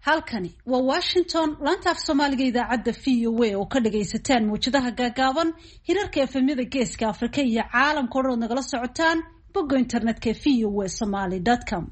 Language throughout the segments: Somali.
Halkani waa Washington, laanta af Soomaaliga, idaacadda VOA oo ka dhagaysataan mawjadaha gaagaaban, hirarka FM-yada Geeska Afrika iyo caalamka o dhan ood nagala socotaan bogga internetka voasomali.com.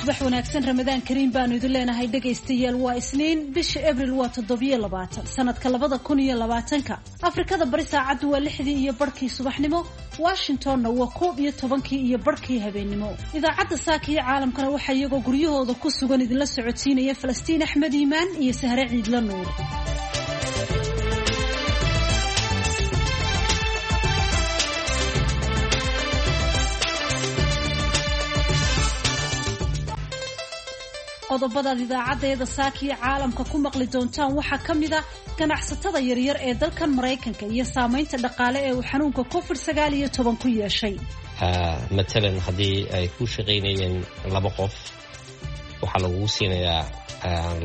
Subax wanaagsan, Ramadaan kariim baanu idin leenahay dhegaystayaal. Waa Isniin, bisha Abril waa 27, sanadka 2020-ka. Afrikada Bari saacaddu waa 6:30 subaxnimo, Washingtonna waa 11:30 habeennimo. Idaacadda saaka iyo caalamkana waxaa iyagoo guryahooda ku sugan idinla socodsiinaya Falastiin Axmed Iimaan iyo Sahre Ciidla Nuur. Qodobadaad idaacaddeeda saakiyo caalamka ku maqli doontaan waxaa ka mid a ganacsatada yaryar ee dalkan Maraykanka iyo saamaynta dhaqaale ee uu xanuunka COVID-19 ku yeeshay. Matalan, haddii ay ku shaqaynayeen laba qof, waxaa lagugu siinayaa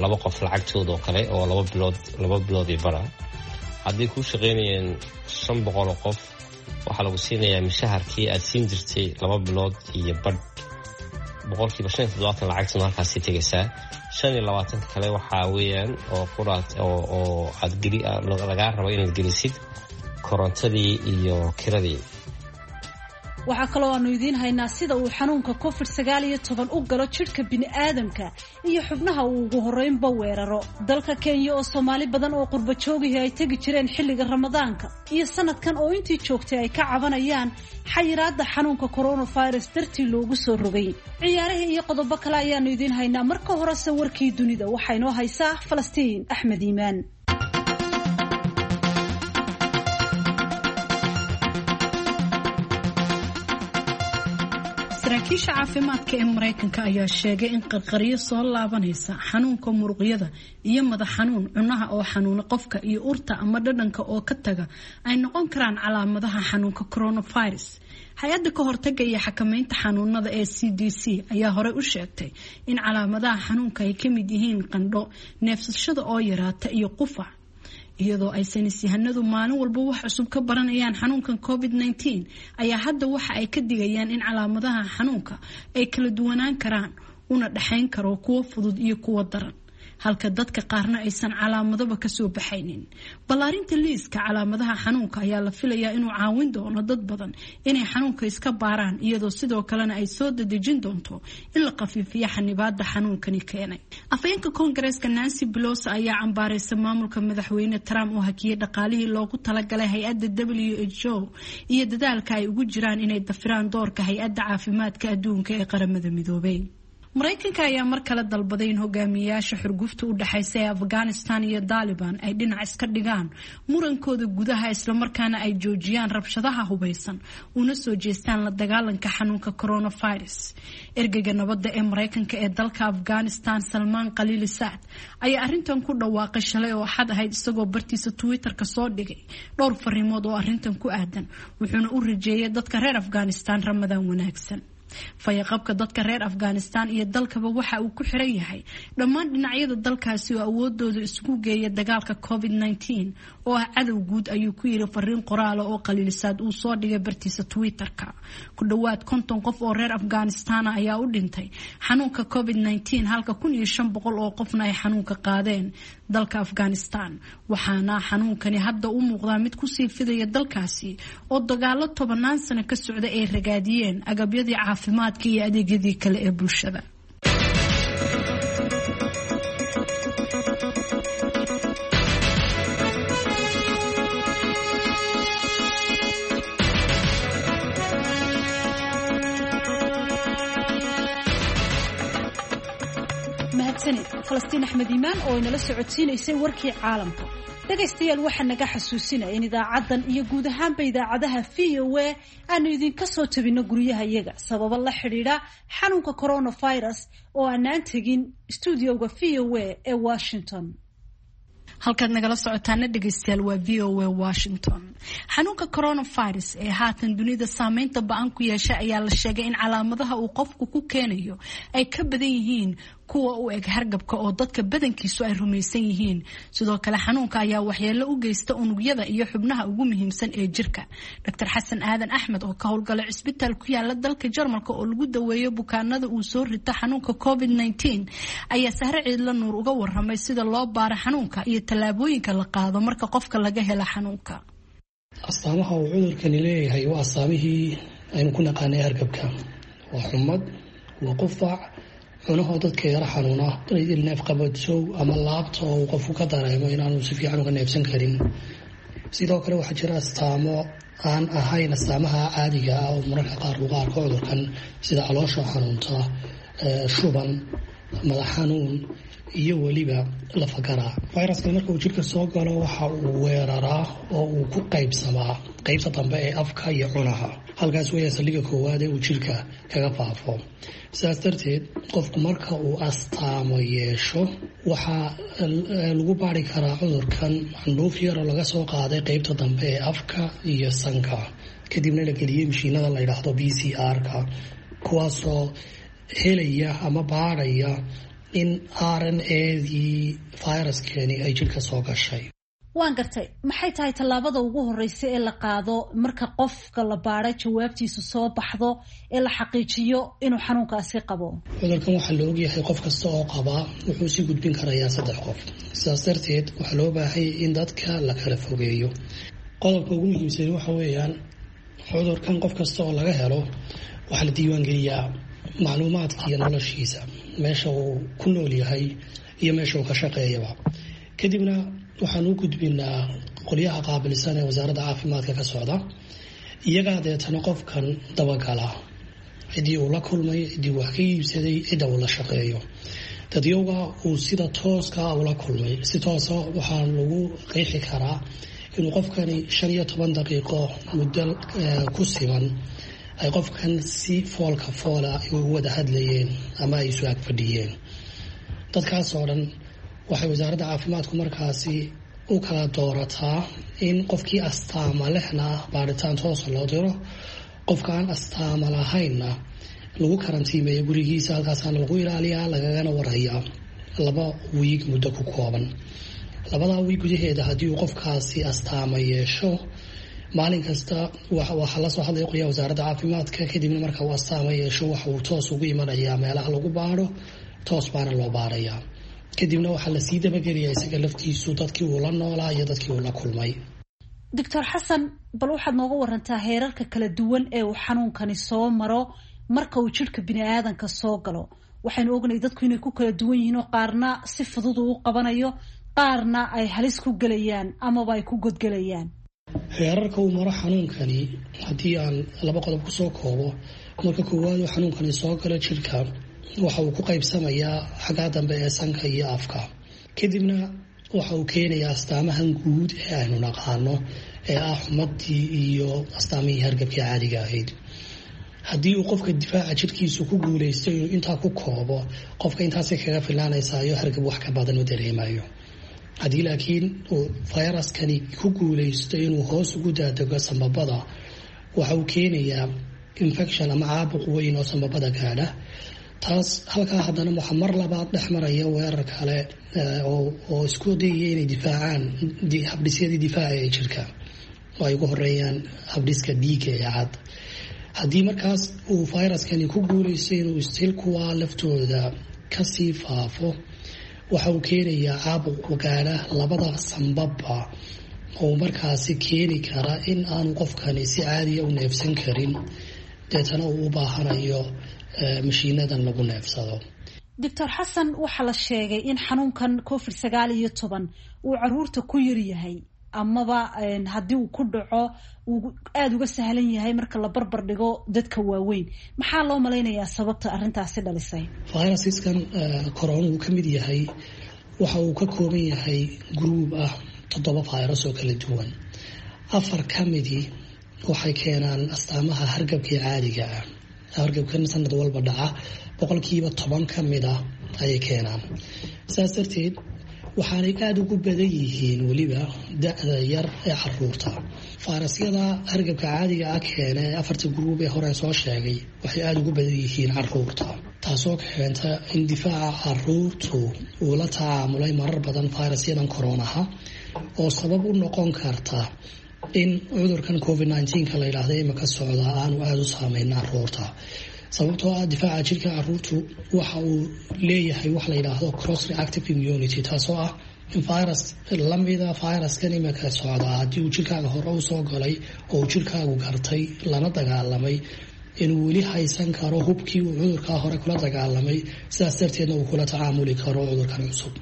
laba qof lacagtooda oo kale oo 2 bilood, 2 bilood iyo bara. Haddii kuu shaqaynayeen 500 oo qof, waxaa lagu siinayaa mishaharkii aad siin jirtay 2 bilood iyo badh. 75% lacagtuna halkaasii tegaysaa. 25-ka kale waxaa weeyaan oo quraad oo aad geli lagaa rabo inaad gelisid korontadii iyo kiradii. Waxaa kaloo aanu idiin haynaa sida uu xanuunka COVID-19 u galo jidhka bini'aadamka iyo xubnaha uu ugu horreynba weeraro. Dalka Kenya oo Soomaali badan oo qurba joogihii ay tegi jireen xilliga Ramadaanka iyo sanadkan oo intii joogtay ay ka cabanayaan xayiraadda xanuunka coronavirus dartii loogu soo rogay. Ciyaarihii iyo qodobo kale ayaanu idiin haynaa. Marka horese warkii dunida waxaa inoo haysaa Falastiin Axmed Iimaan. Saraakiisha caafimaadka ee Mareykanka ayaa sheegay in qarqaryo soo laabanaysa, xanuunka muruqyada iyo madax xanuun, cunaha oo xanuuna qofka iyo urta ama dhadhanka oo ka taga ay noqon karaan calaamadaha xanuunka coronavirus. Hay-adda ka hortaga iyo xakameynta xanuunada ee CDC ayaa horey u sheegtay in calaamadaha xanuunka ay ka mid yihiin qandho, neefsashada oo yaraata iyo qufac. Iyadoo ay saynisyahanadu maalin walba wax cusub ka baranayaan xanuunkan COVID-19, ayaa hadda waxa ay ka digayaan in calaamadaha xanuunka ay kala duwanaan karaan, una dhexayn karo kuwo fudud iyo kuwo daran, halka dadka qaarna aysan calaamadaba kasoo baxaynin. Ballaarinta liiska calaamadaha xanuunka ayaa la filayaa inuu caawin doono dad badan inay xanuunka iska baaraan, iyadoo sidoo kalena ay soo dadejin doonto in la khafiifiyo xanibaada xanuunkani keenay. Afhayeenka Koongareeska Nancy Pelosi ayaa cambaareysa maamulka madaxweyne Trump oo hakiyey dhaqaalihii loogu talagalay hay-adda WHO iyo dadaalka ay ugu jiraan inay dafiraan doorka Hay-adda Caafimaadka Adduunka ee Qaramada Midoobay. Mareykanka ayaa mar kale dalbaday in hogaamiyayaasha xurgufta u dhexaysa ee Afghanistan iyo Daaliban ay dhinac iska dhigaan murankooda gudaha, islamarkaana ay joojiyaan rabshadaha hubeysan una soo jeestaan la dagaalanka xanuunka coronavirus. Ergeyga nabadda ee Mareykanka ee dalka Afghanistan, Salmaan Khaliili Sacd, ayaa arrintan ku dhawaaqay shalay oo Axad ahayd, isagoo bartiisa Twitter-ka soo dhigay dhowr fariimood oo arrintan ku aadan, wuxuuna u rajeeyay dadka reer Afghanistan Ramadaan wanaagsan. Fayaqabka dadka reer Afghanistan iyo dalkaba waxa uu ku xiran yahay dhammaan dhinacyada dalkaasi oo awoodooda isugu geeya dagaalka COVID-19 oo ah cadow guud, ayuu ku yiri fariin qoraala oo Khaliilisaad uu soo dhigay bartiisa Twitter-ka. Ku dhowaad 50 qof oo reer Afghanistan ayaa u dhintay xanuunka COVID-19, halka 1500 oo qofna ay xanuunka qaadeen dalka Afghanistan, waxaana xanuunkani hadda u muuqdaa mid kusii fidaya dalkaasi oo dagaalo tobanaan sano ka socda ay ragaadiyeen agabyadii caafimaadka iyo adeegyadii kale ee bulshada. Mahadsanid Falastiin Axmed Iimaan oo inala socodsiinaysay warkii caalamka. Dhegaystayaal, waxaa naga xasuusinaya in idaacaddan iyo guud ahaanba idaacadaha VOA aanu idinka soo tabino guryaha iyaga sababo la xidhiidha xanuunka coronavirus oo aanaan tegin stuudioga VOA ee Washington. Halkaad nagala socotaana dhegeystayaal waa V O A Washington. Xanuunka coronavirus ee haatan dunida saameynta ba-an ku yeesha ayaa la sheegay in calaamadaha uu qofku ku keenayo ay ka badan yihiin kuwa u eg hargabka oo dadka badankiisu ay rumaysan yihiin. Sidoo kale xanuunka ayaa waxyeelo u geysta unugyada iyo xubnaha ugu muhiimsan ee jirka. Dr Xasan Aadan Axmed oo ka howlgala cisbitaal ku yaala dalka Jarmalka oo lagu daweeyo bukaanada uu soo rito xanuunka COVID-19 ayaa Sahre Ciidla Nuur uga waramay sida loo baaro xanuunka iyo tallaabooyinka la qaado marka qofka laga helo xanuunka. Astaamaha uu cudurkani leeyahay waa astaamihii aynu ku naqaanay hargabka. Waa xumad, waa qufac, cunahoo dadka yaro xanuuna, neefqabadsow ama laabta oo uu qofku ka dareemo inaanu si fiican uga neefsan karin. Sidoo kale waxaa jira astaamo aan ahayn astaamaha caadiga ah oo mararka qaar lagu arko cudurkan, sida caloosha xanuunta, shuban, madax xanuun iyo weliba lafagaraa. Fayraskan marka uu jirka soo galo waxa uu weeraraa oo uu ku qaybsamaa qaybta dambe ee afka iyo cunaha. Halkaas weeyaa saldhigga koowaad ee uu jirka kaga faafo. Sidaas darteed qofku marka uu astaamo yeesho waxaa lagu baari karaa cudurkan candhuuf yar oo laga soo qaaday qaybta dambe ee afka iyo sanka, kadibna la geliyey mashiinada la yidhaahdo PCR-ka, kuwaasoo helaya ama baadhaya in RNA-dii fayraskani ay jirka soo gashay. Waan gartay. Maxay tahay tallaabada ugu horeysa ee la qaado marka qofka la baadho jawaabtiisu soo baxdo ee la xaqiijiyo inuu xanuunkaasi qabo? Cudurkan waxaa la ogyahay qof kasta oo qabaa wuxuu sii gudbin karayaa 3 qof. Sidaas darteed waxaa loo baahanyay in dadka la kala fogeeyo. Qodobka ugu muhiimsan waxa weeyaan cudurkan qof kasta oo laga helo waxaa la diiwaangeliyaa macluumaadka iyo noloshiisa, meesha uu ku nool yahay iyo meesha uu ka shaqeeyaba. Kadibna waxaan u gudbinaa qolyaha qaabilsan ee wasaaradda caafimaadka ka socda. Iyagaa deetana qofkan dabagala, ciddii uu la kulmay, ciddii wax ka iibsaday, cidda uu la shaqeeyo, dadyowga uu sida tooska ula kulmay. Si toosa waxaa lagu qeexi karaa inuu qofkani 15 daqiiqo muddo ku siman ay qofkan si foolka foola ugu wada hadlayeen ama ay isu ag fadhiyeen. Dadkaas oo dhan waxay wasaaradda caafimaadku markaasi u kala doorataa in qofkii astaama lehna baaritaan toosa loo diro, qofka aan astaama lahaynna lagu karantiimeeyo gurigiisa. Halkaasaana lagu ilaaliyaa, lagagana warhayaa 2 wiig muddo ku kooban. 2 wiig gudaheeda haddii uu qofkaasi astaama yeesho, maalin kasta waxaa lasoo hadlaya qolyaha wasaaradda caafimaadka. Kadibna marka uu astaama yeesho waxa uu toos ugu imanayaa meelaha lagu baadho, toos baana loo baarayaa. Kadibna waxaa lasii dabageliyaa isaga laftiisu dadkii uu la noolaa iyo dadkii uu la kulmay. Doctor Xasan, bal waxaad nooga warantaa heerarka kala duwan ee uu xanuunkani soo maro marka uu jidhka bini aadanka soo galo. Waxaynu ognay dadku inay ku kala duwan yihiin oo qaarna si fudud uu u qabanayo, qaarna ay halis ku gelayaan amaba ay ku godgelayaan. Heerarka uu maro xanuunkani haddii aan 2 qodob kusoo koobo, marka koowaad uu xanuunkani soo galo jirka waxa uu ku qaybsamayaa xaggaa dambe ee sanka iyo afka. Kadibna waxa uu keenayaa astaamahan guud ee aynu naqaano ee ah xumadii iyo astaamihii hargabkii caadiga ahayd. Haddii uu qofka difaaca jirkiisu ku guuleysto inuu intaa ku koobo, qofka intaasay kaga filaanaysaayo, hargab wax ka badan u dareemayo. Haddii laakiin uu fayraskani ku guuleysto inuu hoos ugu daadego sambabada, waxa uu keenayaa infection ama caabuq weyn oo sambabada gaadha. Taas halkaa haddana waxaa mar labaad dhex maraya weerar kale oo isku dayaya inay difaacaan habdhisyadii difaaca ee jirka, oo ay ugu horeeyaan habdhiska dhiigga ee cad. Haddii markaas uu fayraskani ku guuleysto inuu istil kuwaa laftooda kasii faafo, waxa uu keenayaa caabuq gaadha labada sambabba oo markaasi keeni kara in aanu qofkani si caadiya u neefsan karin, deetana uu u baahanayo mashiinadan lagu neefsado. Doctor Xasan, waxaa la sheegay in xanuunkan COVID-19 uu caruurta ku yar yahay, amaba haddii uu ku dhaco uu aada uga sahlan yahay marka la barbar dhigo dadka waaweyn. Maxaa loo malaynayaa sababta arrintaasi dhalisay? Fayrasiskan corona uu ka mid yahay waxa uu ka kooban yahay gruub ah 7 fayras oo kala duwan. 4 ka midii waxay keenaan astaamaha hargabkii caadiga ah. Hargabkan sanad walba dhaca 10% ka mid ah ayay keenaan. Saas darteed Waxaanay aada ugu badan yihiin weliba da-da yar ee caruurta. Fayrasyada hargabka caadiga ah keena ee afarta gruub ee hore soo sheegay waxay aada ugu badan yihiin caruurta, taasoo keenta in difaaca caruurtu uu la tacaamulay marar badan fayrasyadan koronaha, oo sabab u noqon karta in cudurkan COVID 19-ka la yidhaahda imika socdaa aanu aada u saameyn caruurta, sababtoo ah difaaca jirka caruurtu waxa uu leeyahay wax la yidhaahdo cross reactive immunity, taasoo ah in virus lamida viruskan imika socdaa haddii uu jirkaaga hore usoo galay oo uu jirkaagu gartay lana dagaalamay, inuu weli haysan karo hubkii uu cudurkaa hore kula dagaalamay, sidaas darteedna uu kula tacaamuli karo cudurkan cusub,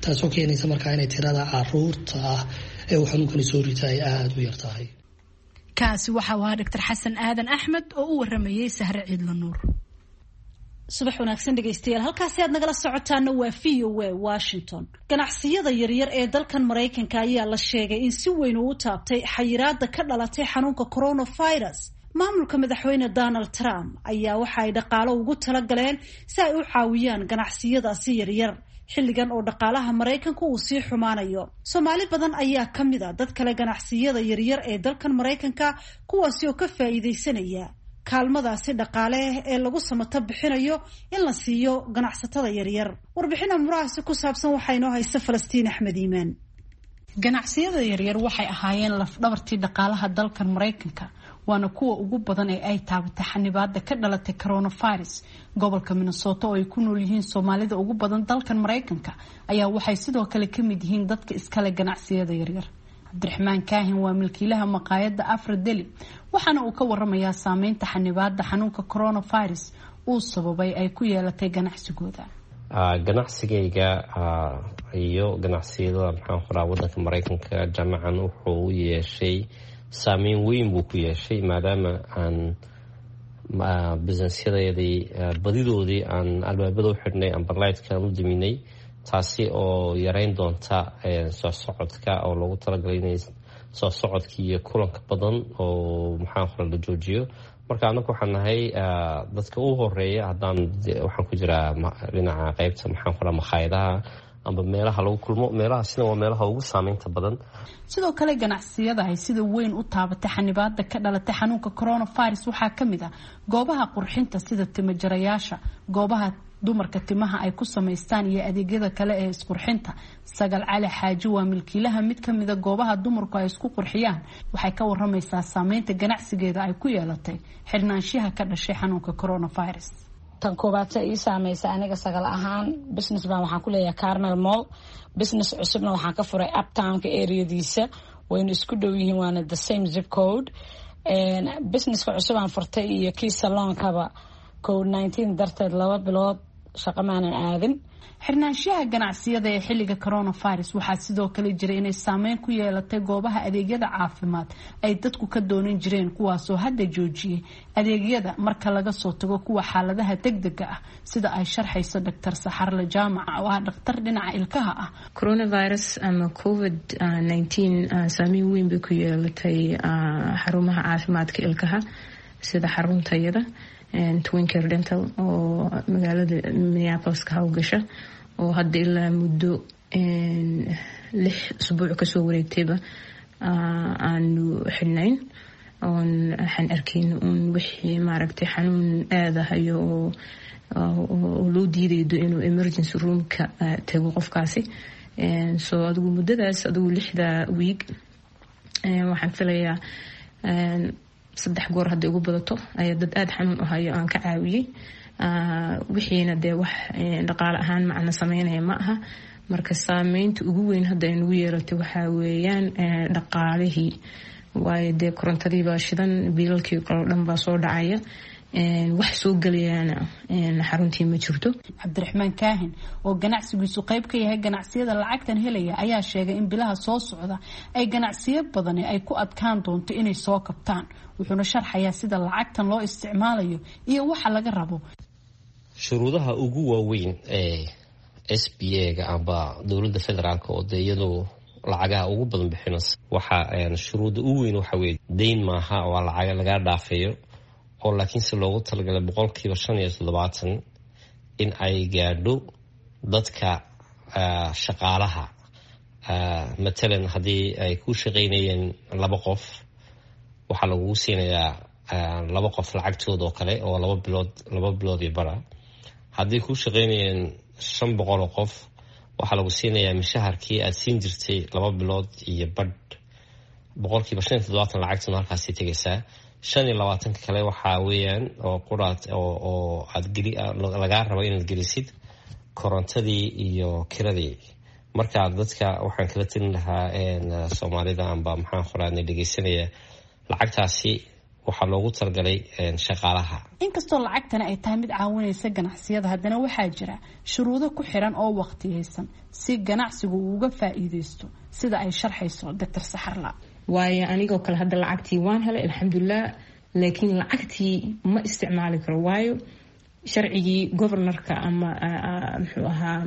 taasoo keenaysa markaa inay tirada caruurta ah ee uu xanuunkani soo rita ay aada u yar tahay. Kaasi waxa uu ahaa Dr Xasan Aadan Axmed oo u waramayey Sahre Ciidla Nuur. Subax wanaagsan dhegaystayaal, halkaasi aad nagala socotaana waa VOA Washington. Ganacsiyada yaryar ee dalkan Maraykanka ayaa la sheegay in si weyn uu u taabtay xayiraada ka dhalatay xanuunka coronavirus. Maamulka Madaxweyne Donald Trump ayaa waxa ay dhaqaalo ugu talagaleen si ay u caawiyaan ganacsiyadaasi yaryar xilligan oo dhaqaalaha Maraykanku uu sii xumaanayo. Soomaali badan ayaa ka mid a dad kale ganacsiyada yaryar ee dalkan Maraykanka, kuwaasi oo ka faa'iidaysanaya kaalmadaasi dhaqaale ee lagu samato bixinayo in la siiyo ganacsatada yaryar. Warbixin amurahaasi ku saabsan waxaa inoo haysta Falastiin Axmed Iimaan. Ganacsiyada yaryar waxay ahaayeen lafdhabartii dhaqaalaha dalkan Maraykanka, waana kuwa ugu badan ee ay taabatay xanibaada ka dhalatay coronavirus. Gobolka Minnesota oo ay ku nool yihiin Soomaalida ugu badan dalkan Maraykanka ayaa waxay sidoo kale ka mid yihiin dadka iskale ganacsiyada yaryar. Cabdiraxmaan Kaahin waa milkiilaha maqaayadda Afra Deli, waxaana uu ka waramayaa saameynta xanibaada xanuunka coronavirus uu sababay ay ku yeelatay ganacsigooda. Ganacsigayga iyo ganacsiyada, maxaan qoraa, wadanka Maraykanka jaamacan wuxuu u yeeshay saameyn weyn buu ku yeeshay, maadaama aan businessyadeedii badidoodii aan albaabada u xidhnay amba lightkaan u daminay, taasi oo yareyn doonta soo socodka oo loogu talagalay inay soo socodka iyo kulanka badan oo, maxaan qora, la joojiyo. Marka anaku waxaan nahay dadka u horeeya. Haddaan waxaan ku jiraa dhinaca qeybta, maxaan qoraa, makhaayadaha amba meelaha lagu kulmo, meelahaasina waa meelaha ugu saameynta badan. Sidoo kale ganacsiyada ay sida weyn u taabatay xanibaada ka dhalatay xanuunka coronavirus waxaa ka mid ah goobaha qurxinta sida timajarayaasha, goobaha dumarka timaha ay ku samaystaan iyo adeegyada kale ee isqurxinta. Sagal Cali Xaaji waa milkiilaha mid ka mida goobaha dumarku ay isku qurxiyaan. Waxay ka waramaysaa saameynta ganacsigeeda ay ku yeelatay xirnaanshiyaha ka dhashay xanuunka coronavirus. Tan koobaadta ii saameysa aniga Sagal ahaan, business baan waxaan ku leeyahay Carmel Mall. Business cusubna waxaan ka furay Uptownka areadiisa, wayna isku dhow yihiin, waana the same zip code. Businesska cusub aan furtay iyo kii saloonkaba COVID-19 darteed 2 bilood shaqo maanan aadin. Xirnaanshiyaha ganacsiyada ee xilliga coronavirus waxaa sidoo kale jiray inay saameyn ku yeelatay goobaha adeegyada caafimaad ay dadku ka doonan jireen, kuwaasoo hadda joojiyay adeegyada marka laga soo tago kuwa xaaladaha degdega ah, sida ay sharxayso Dr Saxarle Jaamac oo ah dhakhtar dhinaca ilkaha ah. Coronavirus ama COVID 19 saameyn weyn bay ku yeelatay xarumaha caafimaadka ilkaha, sida xaruntayada Twincare Dental oo magaalada Minneapolis ka howlgasha, oo hadda ilaa muddo 6 usbuuc kasoo wareegtayba aanu xidhnayn, oon waxaan arkayn uun wixii maaragtay xanuun aadahayo oo loo diidaydo inuu emergency roomka tago qofkaasi. So adigu muddadaas, adigu 6da wiig, waxaan filayaa saddex goor hadday ugu badato ayaa dad aada xanuun u hayo aan ka caawiyey. Wixiina dee wax dhaqaale ahaan macna sameynaya ma aha. Marka saameynta ugu weyn hadda ay nagu yeelatay waxaa weeyaan dhaqaalihii, waayo dee korontadii baa shidan, biilalkii kaloo dhan baa soo dhacaya, wax soo gelayaana xaruntii ma jirto. Cabdiraxmaan Kaahin oo ganacsigiisu qayb ka yahay ganacsiyada lacagtan helaya ayaa sheegay in bilaha soo socda ay ganacsiyo badani ay ku adkaan doonto inay soo kabtaan. Wuxuuna sharxayaa sida lacagtan loo isticmaalayo iyo waxa laga rabo. Shuruudaha ugu waaweyn ee SBA-ga amba dowladda federaalka, oo dee iyadu lacagaha ugu badan bixinaysa, waxa shuruudda ugu weyn waxa weye deyn maaha, waa lacaga lagaa dhaafeeyo oo laakiinse loogu talagalay 75% in ay gaadho dadka shaqaalaha. Matalan haddii ay ku shaqaynayeen laba qof, waxaa lagugu siinayaa laba qof lacagtooda oo kale oo 2 bilood, 2 bilood iyo bara. Haddii ku shaqaynayeen 500 oo qof, waxaa lagu siinayaa mishaharkii aad siin jirtay 2 bilood iyo badh. 75% lacagtuna halkaasi tegaysaa. 25-ka kale waxaa weeyaan oo quraad oo aad geli lagaa rabo inaad gelisid korontadii iyo kiradii. Marka dadka waxaan kala telin lahaa, Soomaalida amba maxaan qoraadna dhegeysanaya, lacagtaasi waxaa loogu talagalay shaqaalaha. Inkastoo lacagtani ay tahay mid caawinaysa ganacsiyada, haddana waxaa jira shuruudo ku xiran oo waqtiyeysan si ganacsigu uu uga faa'iideysto, sida ay sharxayso Doctor Saxarla. Waayo, anigoo kale hadda lacagtii waan helay, alxamdulilah, laakiin lacagtii ma isticmaali karo, waayo sharcigii governorka ama muxuu ahaa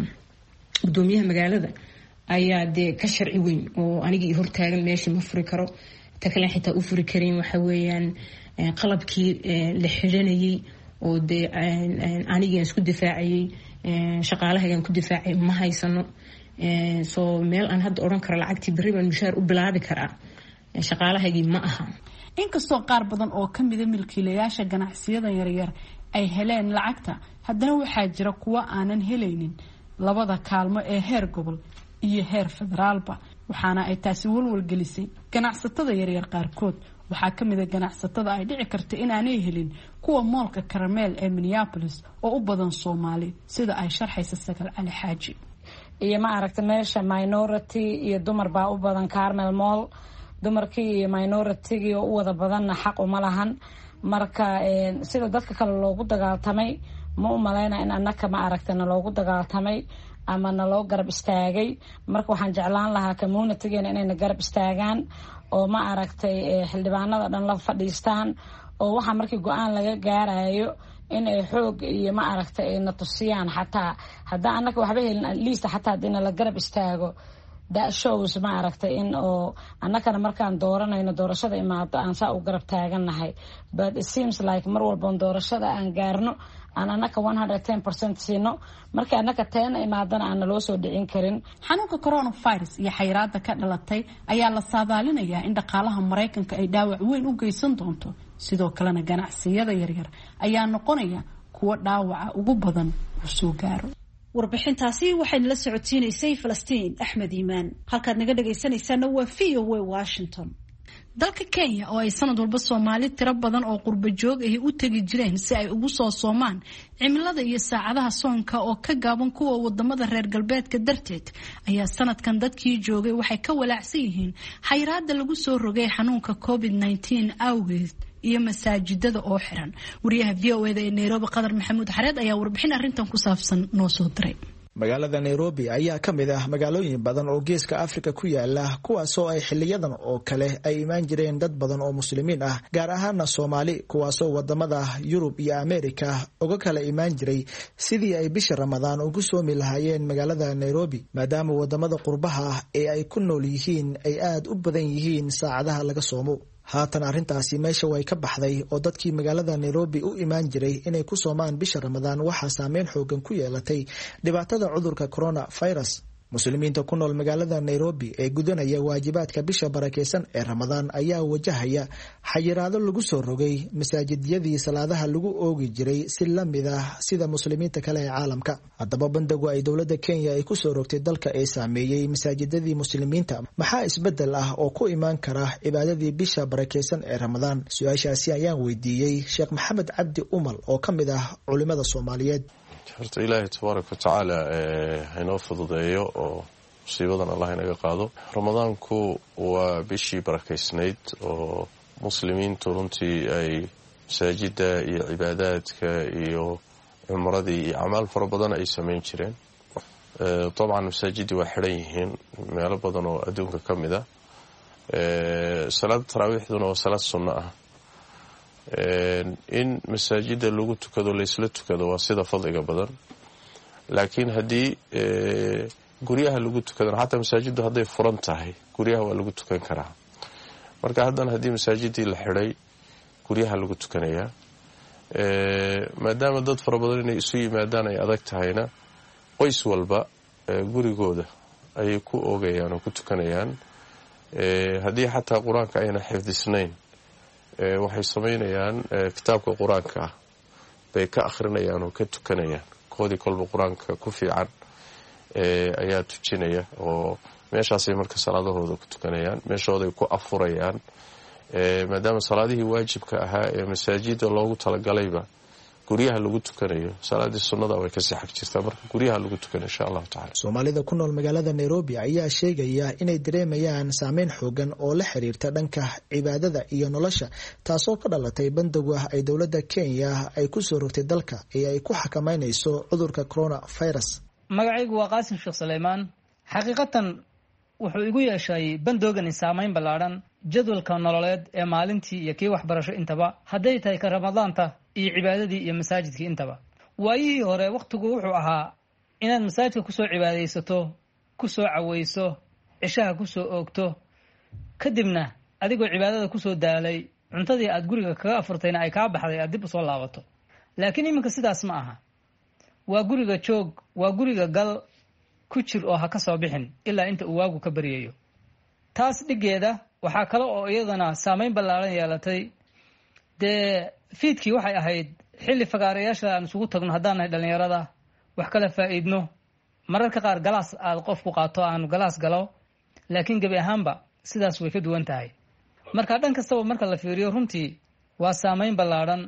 gudoomiyaha magaalada ayaa dee ka sharci weyn oo anigii hortaagan, meeshii ma furi karo. Ta kale xitaa u furi karin waxa weeyaan qalabkii la xidhanayay oo dee anigian isku difaacayay, shaqaalahaygan ku difaacay, ma haysano. Soo meel aan hadda odhan karo lacagtii berri baan mushaar u bilaabi karaa shaqaalahaygii ma aha. Inkastoo qaar badan oo ka mida milkiilayaasha ganacsiyada yaryar ay heleen lacagta, haddana waxaa jira kuwo aanan helaynin labada kaalmo ee heer gobol iyo heer federaalba, waxaana ay taasi walwalgelisay ganacsatada yaryar qaarkood. Waxaa ka mid a ganacsatada ay dhici karta inaanay helin kuwa mallka Karmel ee Minneapolis oo u badan Soomaali, sida ay sharxaysa Sagal Cali Xaaji. Iyo ma aragta, meesha minority iyo dumar baa u badan Karmel Mall. Dumarkii iyo minoritygii oo u wada badanna xaq uma lahan. Marka sida dadka kale loogu dagaaltamay ma u maleyna in annaka, ma aragta, naloogu dagaaltamay ama naloo garab istaagay. Marka waxaan jeclaan lahaa communitygeena inayna garab istaagaan oo, ma aragtay, xildhibaanada dhan la fadhiistaan oo waxaa markii go-aan laga gaarayo in ay xoog iyo, ma aragtay, ay na tusiyaan. Xataa haddaan annaka waxba helin, at least xataa haddii nala garab istaago, that shows, ma aragtay, in oo annakana markaan dooranayno, doorashada imaado, aan saa u garab taagannahay. But it seems like mar walboon doorashada aan gaarno aan annaka 110% siino, markii annaka teena imaadana aan naloo soo dhicin karin. Xanuunka coronavirus iyo xayiraada ka dhalatay ayaa la saadaalinayaa in dhaqaalaha Maraykanka ay dhaawac weyn u geysan doonto. Sidoo kalena ganacsiyada yaryar ayaa noqonaya kuwo dhaawaca ugu badan uu soo gaaro. Warbixintaasi waxayna la socodsiinaysay Falastiin Axmed Iimaan. Halkaad naga dhagaysanaysaana waa VOA Washington. Dalka Kenya oo ay sanad walba Soomaali tiro badan oo qurbo joog ahi u tegi jireen si ay ugu soo soomaan, cimilada iyo saacadaha soonka oo ka gaaban kuwa wadamada reer galbeedka darteed ayaa sanadkan dadkii joogay waxay ka walaacsan yihiin xayiraada lagu soo rogay xanuunka COVID-19 awgeed iyo masaajidada oo xiran. Wariyaha VOA-da ee Nairobi, Qadar Maxamuud Xareed, ayaa warbixin arrintan ku saabsan noo soo diray. Magaalada Nairobi ayaa ka mid ah magaalooyin badan oo geeska Afrika ku yaala, kuwaasoo ay xiliyadan oo kale ay imaan jireen dad badan oo Muslimiin ah, gaar ahaana Soomaali, kuwaasoo wadamada Yurub iyo Ameerika uga kala imaan jiray sidii ay bisha Ramadaan ugu soomi lahaayeen magaalada Nairobi, maadaama wadamada qurbaha ah ee ay ku nool yihiin ay aada u badan yihiin saacadaha laga soomo. Haatan arrintaasi meesha way ka baxday oo dadkii magaalada Nairobi u imaan jiray inay ku soomaan bisha Ramadaan waxaa saameyn xoogan ku yeelatay dhibaatada cudurka coronavirus. Muslimiinta ku nool magaalada Nairobi ee gudanaya waajibaadka bisha barakeysan ee Ramadaan ayaa wajahaya xayiraado lagu soo rogay masaajidyadii salaadaha lagu oogi jiray, si lamid ah sida muslimiinta kale ee caalamka. Haddaba, bandagu ay dowladda Kenya ay kusoo rogtay dalka ee saameeyey masaajidadii muslimiinta, maxaa isbedel ah oo ku imaan kara cibaadadii bisha barakeysan ee Ramadaan? Su-aashaasi ayaan weydiiyey Sheekh Maxamed Cabdi Umal oo ka mid ah culimada Soomaaliyeed. Horta Ilaahay tabaaraka watacaala hainoo fududeeyo oo musiibadan Allah inaga qaado. Ramadaanku waa bishii barakaysnayd oo muslimiintu runtii ay masaajida iyo cibaadaadka iyo cumradii iyo acmaal fara badan ay samayn jireen. Dabcan masaajidii waa xidhan yihiin meelo badan oo adduunka ka mid ah. Salaada taraawiixduna waa salaad sunno ah. In masaajida lagu tukado, laysla tukado, waa sida fadliga badan, laakiin haddii guryaha lagu tukadana, xataa masaajiddu hadday furan tahay, guryaha waa lagu tukan karaa. Marka haddana haddii masaajidii la xidhay, guryaha lagu tukanayaa, maadaama dad fara badan inay isu yimaadaan ay adag tahayna, qoys walba gurigooda ayay ku oogayaan oo ku tukanayaan. Haddii xataa qur-aanka ayna xifdisnayn, waxay samaynayaan kitaabka qur-aanka ah bay ka akhrinayaan oo ka tukanayaan. Koodii kolba qur-aanka ku fiican ayaa tujinaya, oo meeshaasay marka salaadahooda ku tukanayaan, meeshooday ku afurayaan, maadaama salaadihii waajibka ahaa ee masaajida loogu talagalayba guryaha lagu tukanayo. Salaadii sunnada way kasii xag jirtaa, marka guryaha lagu tukanayo insha allahu tacala. Soomaalida ku nool magaalada Nairobi ayaa sheegaya inay dareemayaan saameyn xoogan oo la xiriirta dhanka cibaadada iyo nolosha, taasoo ka dhalatay bandowga ay dowladda Kenya ay ku soo rogtay dalka ee ay ku xakameynayso cudurka coronavirus. Magacaygu waa Qaasim Sheekh Saleymaan. Xaqiiqatan wuxuu igu yeeshay bandowgani saameyn ballaadhan jadwalka nololeed ee maalintii iyo kii waxbarasho intaba, hadday tahay ka Ramadaanta iyo cibaadadii iyo masaajidkii intaba. Waayihii hore wakhtigu wuxuu ahaa inaad masaajidka kusoo cibaadaysato, kusoo cawayso, cishaha kusoo oogto, kadibna adigoo cibaadada kusoo daalay cuntadii aad guriga kaga afurtayna ay kaa baxday aad dib usoo laabato. Laakiin iminka sidaas ma aha. Waa guriga joog, waa guriga gal ku jir oo ha ka soo bixin ilaa inta uu waagu ka baryayo. Taas dhiggeeda waxaa kale oo iyadana saameyn ballaaran yeelatay, dee fiidkii waxay ahayd xilli fagaarayaasha aan isugu tagno haddaan nahay dhallinyarada, wax kala faa'iidno, mararka qaar galaas aad qofku qaato aanu galaas galo. Laakiin gebi ahaanba sidaas way ka duwan tahay. Marka dhan kastaba marka la fiiriyo, runtii waa saameyn ballaadhan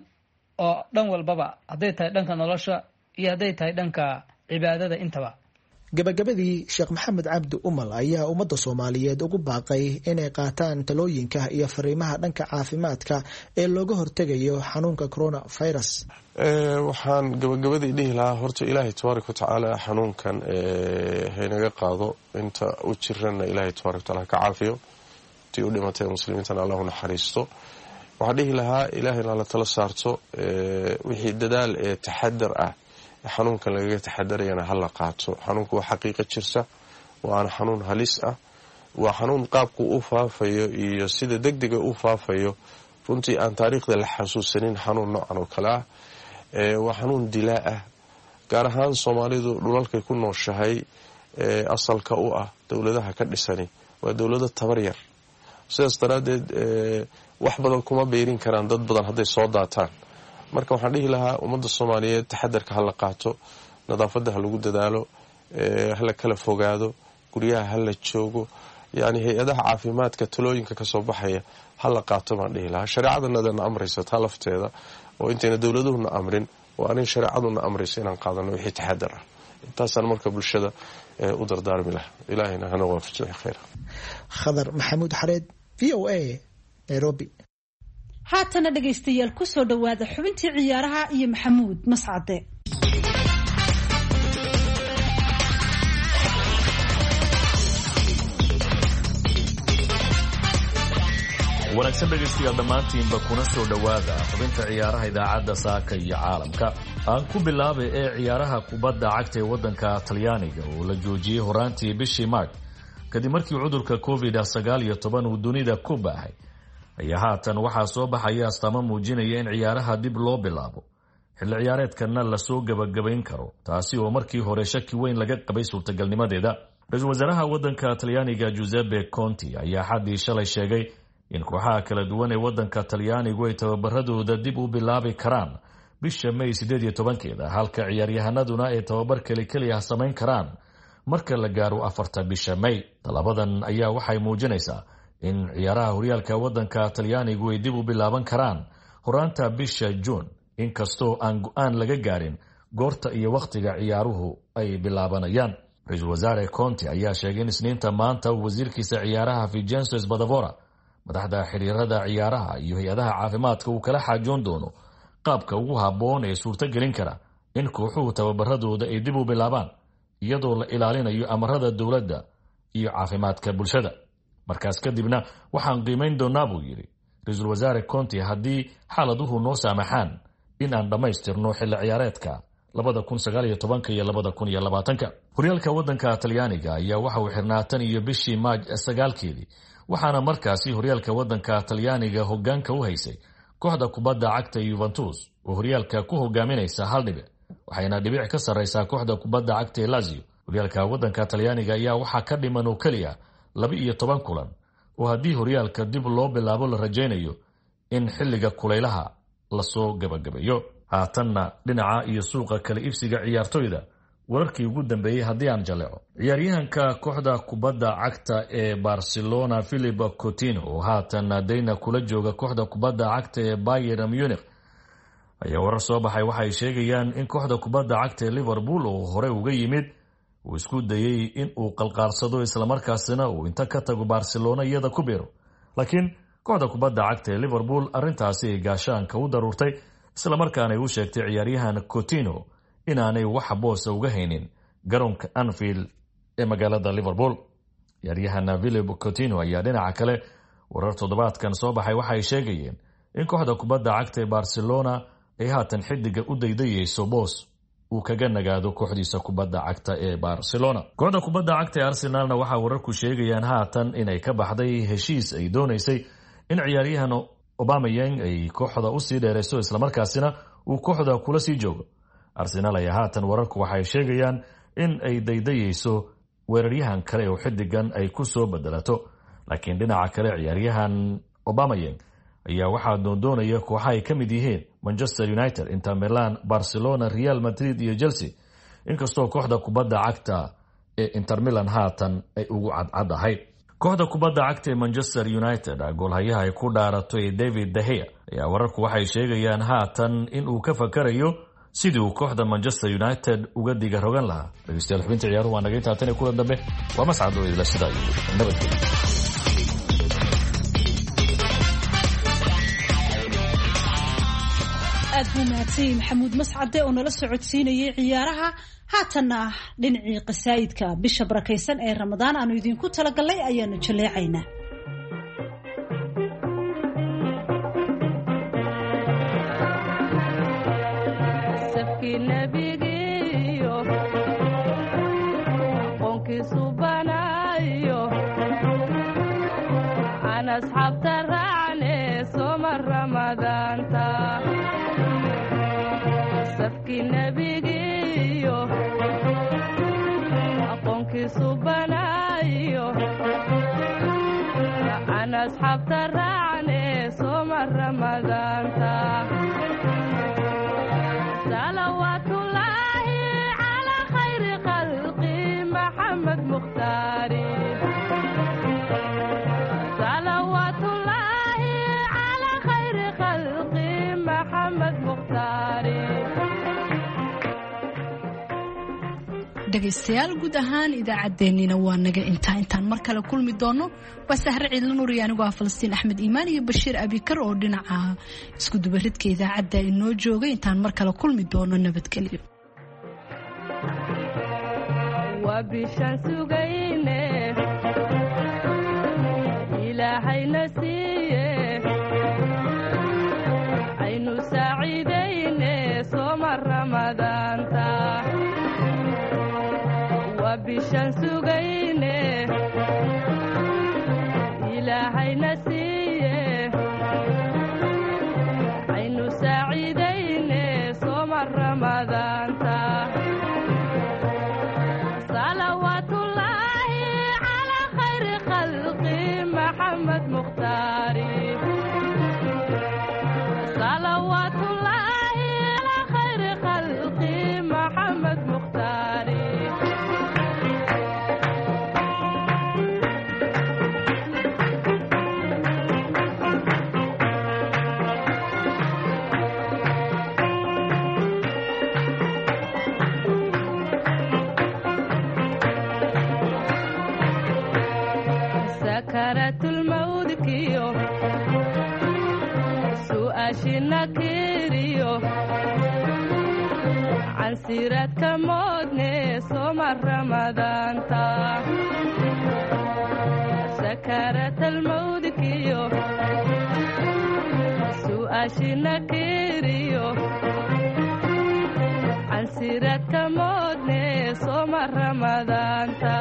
oo dhan walbaba, hadday tahay dhanka nolosha iyo hadday tahay dhanka cibaadada intaba. Gabagabadii, Sheekh Maxamed Cabdi Umal ayaa ummadda Soomaaliyeed ugu baaqay inay qaataan talooyinka iyo fariimaha dhanka caafimaadka ee looga hortegayo xanuunka coronavirus. Waxaan gabagabadii dhihi lahaa, horta Ilaahay tabaaraka watacaala xanuunkan haynaga qaado, inta u jirana Ilaahay tabaaraka wataala ka caafiyo, intii u dhimatay muslimiintana Allahu naxariisto. Waxaan dhihi lahaa Ilaahayna la tala saarto, wixii dadaal ee taxadar ah xanuunkan lagaga taxadarayana hala qaato. Xanuunku waa xaqiiqo jirta, waana xanuun halis ah, waa xanuun qaabku u faafayo iyo sida degdega u faafayo runtii aan taariikhda la xasuusanin xanuun noocan oo kale ah. Waa xanuun dilaa ah, gaar ahaan Soomaalidu dhulalkay ku nooshahay asalka u ah dowladaha ka dhisani waa dowlado tabar yar. Sidaas daraaddeed wax badan kuma beyrin karaan dad badan hadday soo daataan. Marka waxaan dhihi lahaa ummadda Soomaaliyeed taxadarka hala qaato, nadaafadda ha lagu dadaalo, hala kala fogaado, guryaha hala joogo, yacni hay-adaha caafimaadka talooyinka kasoo baxaya hala qaato baan dhihi lahaa. Shareecadanadana amraysa taa lafteeda, oo intayna dowladuhuna amrin waa arin shareecaduna amraysa inaan qaadano wixii taxadar ah. Intaasaan marka bulshada u dardaarmi lahaa. Ilaahayna hana waafajiyo khayr. Khadar Maxamuud Xareed, VOA, Nairobi. Haatana dhegaystayaal, kusoo dhowaada xubintii ciyaaraha iyo Maxamuud Mascade. Wanaagsan dhegaystayaal dhammaantiinba, kuna soo dhowaada xubinta ciyaaraha idaacadda Saaka iyo Caalamka. Aan ku bilaabay ee ciyaaraha kubadda cagta ee waddanka Talyaaniga oo la joojiyey horaantii bishii March kadib markii cudurka COVID-19 uu dunida ku baahay, ayaa haatan waxaa soo baxaya astaamo muujinaya in ciyaaraha dib loo bilaabo, xilli ciyaareedkanna lasoo gebagabayn karo, taasi oo markii hore shaki weyn laga qabay suurtagalnimadeeda. Ra-iisul wasaaraha waddanka Talyaaniga Giuseppe Conti ayaa xaddii shalay sheegay in kooxaha kala duwan ee waddanka Talyaanigu ay tababaradooda dib u bilaabi karaan bisha May 18-keeda, halka ciyaaryahanaduna ay tababar keli keli ah samayn karaan marka la gaaro 4-ta bisha May. Tallabadan ayaa waxay muujinaysaa in ciyaaraha horyaalka waddanka Talyaanigu ay dib u bilaaban karaan horaanta bisha Juun, inkastoo aan go-aan laga gaarin goorta iyo wakhtiga ciyaaruhu ay bilaabanayaan. Ra-iisul wasaare Conti ayaa sheegay in Isniinta maanta uu wasiirkiisa ciyaaraha Vincenzo Spadafora, madaxda xiriirada ciyaaraha iyo hay-adaha caafimaadka uu kala xaajoon doono qaabka ugu habboon ee suurtogelin kara in kooxuhu tababaradooda ay dib u bilaabaan, iyadoo la ilaalinayo amarada dowladda iyo caafimaadka bulshada. Markaas kadibna waxaan qiimayn doonaa, buu yidhi ra-iisul wasaare Conti, haddii xaaladuhu noo saamaxaan in aan dhammaystirno xilli ciyaareedka 2019-ka iyo 2020-ka. Horyaalka waddanka Talyaaniga ayaa waxa uu xirnaa tan iyo bishii Maaj 9-keedii, waxaana markaasi horyaalka waddanka Talyaaniga hoggaanka u haysay kooxda kubadda cagta Yuventus oo horyaalka ku hogaaminaysa hal dhibic, waxayna dhibic ka sarraysaa kooxda kubadda cagta ee Lazio Horyaalka waddanka Talyaaniga ayaa waxaa ka dhiman oo keliya 12 kulan, oo haddii horyaalka dib loo bilaabo la rajaynayo in xilliga kulaylaha lasoo gabagabeeyo. Haatanna dhinaca iyo suuqa kala iibsiga ciyaartoyda wararkii ugu dambeeyey haddii aan jaleeco, ciyaaryahanka kooxda kubadda cagta ee Barcelona Philip Coutinho, oo haatan dayna kula jooga kooxda kubadda cagta ee Bayern Munich, ayaa warar soo baxay waxay sheegayaan in kooxda kubadda cagta ee Liverpool oo hore uga yimid uu isku dayey in uu qalqaarsado, islamarkaasina uu inta ka tago Barcelona iyada ku biiro, laakiin kooxda kubadda cagta ee Liverpool arrintaasi ay gaashaanka u daruurtay, islamarkaana ay u sheegtay ciyaaryahan Coutinho inaanay wax boosa uga haynin garoonka Anfield ee magaalada Liverpool. Ciyaaryahan Philip Coutinho ayaa dhinaca kale warar toddobaadkan soo baxay waxay sheegayeen in kooxda kubadda cagta ee Barcelona ay haatan xidiga u daydayeyso boos uu kaga nagaado kooxdiisa kubadda cagta ee Barcelona. Kooxda kubadda cagta ee Arsenalna waxaa wararku sheegayaan haatan inay ka baxday heshiis ay doonaysay in ciyaaryahan Aubameyang ay kooxda usii dheerayso, islamarkaasina uu kooxda kula sii joogo. Arsenaal ayaa haatan wararku waxay sheegayaan in ay daydayeyso weeraryahan kale oo xidigan ay ku soo bedelato, laakiin dhinaca kale ciyaaryahan Aubameyang ayaa waxaa doondoonaya kooxa ay ka mid yihiin Manchester United, Inter Milan, Barcelona, Real Madrid iyo Chelsea, inkastoo kooxda kubadda cagta ee Inter Milan haatan ay ugu cadcadahay. Kooxda kubadda cagta ee Manchester United goolhayaha ay ku dhaaratay David De Gea ayaa wararku waxay sheegayaan haatan in uu ka fakarayo sidii uu kooxda Manchester United uga diga rogan lahaa. Dhegeystayaal, xubinta ciyaaruhu waa naga intaa, tan iyo kulan dambe waa Mascad oo idila sidaa iyo nabadgelyo. Aad buu mahadsanyay Maxamuud Mascade oo nala socodsiinayay ciyaaraha. Haatanna ah dhinacii qasaa'idka bisha barakaysan ee Ramadaan aanu idinku talagalnay ayaanu jaleecaynaa. Dhegaystayaal, guud ahaan idaacaddeenina waa naga intaa. Intaan mar kale kulmi doono, waa Sahre Ciidla Nuuriya, anigoo ah Falastiin Axmed Iimaan iyo Bashiir Abikar oo dhinaca isku dubaridka idaacadda inoo joogay. Intaan mar kale kulmi doono, nabadgelyo. Bishan sugayne Ilaahayna siiye, aynu saaciidayne sooma Ramadaanta. Salawaatullaahi calaa khayri khalqi Maxamed Mukhtaari. Salawaatullaahi calaa khayri khalqi Maxamed Mukhtaari. Su'aashina kiriyo cansiraadka moodne sooma Ramadaanta. Sakaratalmawdkiyo su'aashina kiriyo cansiraadka moodne sooma Ramadaanta.